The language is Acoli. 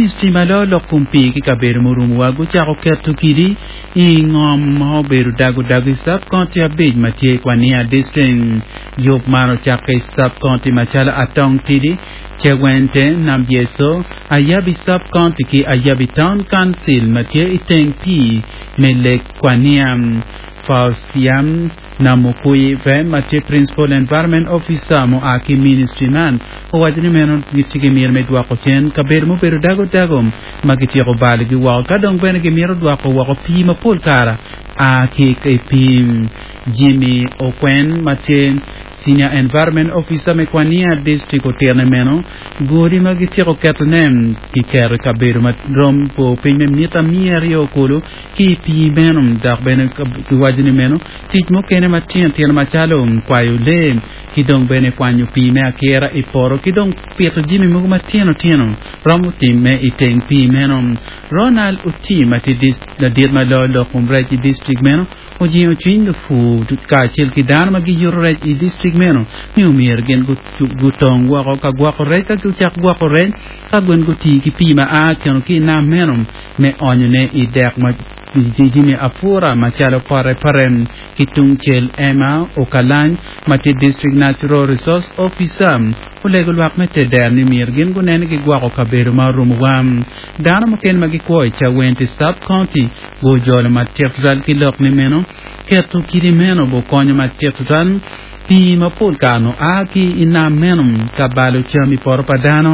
Ministri ma loyo lok kom pii ki kabedo murumowa gucako keto kidi i ngom ma obedo dago dago i sub-county abic ma tye i Kwania District. Yub man ocakke i sub-county macalo Atong Tidi, Cewente, Nambyeso, Ayabi Sub-county ki Ayabi Town Council ma tye i teng pii me Lake Kwania. Fausiam Namukuive ma tye Principal Environment Officer mua ki ministry man owaco ni meno gitye ki miti me dwoko cen kabedo mubedo dago dago ma gityeko balogi woko ka dong bene gimito dwoko woko pii ma pol kara a ki i pii. Jimmy Okwen ma tye Senior Environment Officer me Kwania District otito ni meno godi ma gityeko ketone kiketo i kabedo ma rom bor piny me mita 200 kulu ki i pii meno dok bene kiwaco ni meno tic mukene matino tino macalo kwayo lee ki dong bene kwanyo pii me akira i poto ki dong pito jami mogo matino tino romo timme i teng pii meno. Ronald Otim ma tye ladit ma loyo lok kom rec i distrik meno ojingo cwiny lupur kacel ki dano ma giyuto rec i distrik meno ni omyero gin gutong woko ka gwoko rec ka gucak gwoko rec ka gin gutii ki pii ma a keno ki i nam meno me onyone i dek ma jami apura macalo pote pote. Ki tungcel, Emma Okalany ma tye District Natural Resource Officer olego lwak me teder ni myero gin gunen ni gigwoko kabedo ma orumowa. Dano mukene ma gikwo i Chawenti Sub-County gujolo matek tutwal ki lok ni meno keto kidi meno bukonyo matek tutwal pii mapol kare-nu a ki i nam meno ka balo cam i poto pa dano.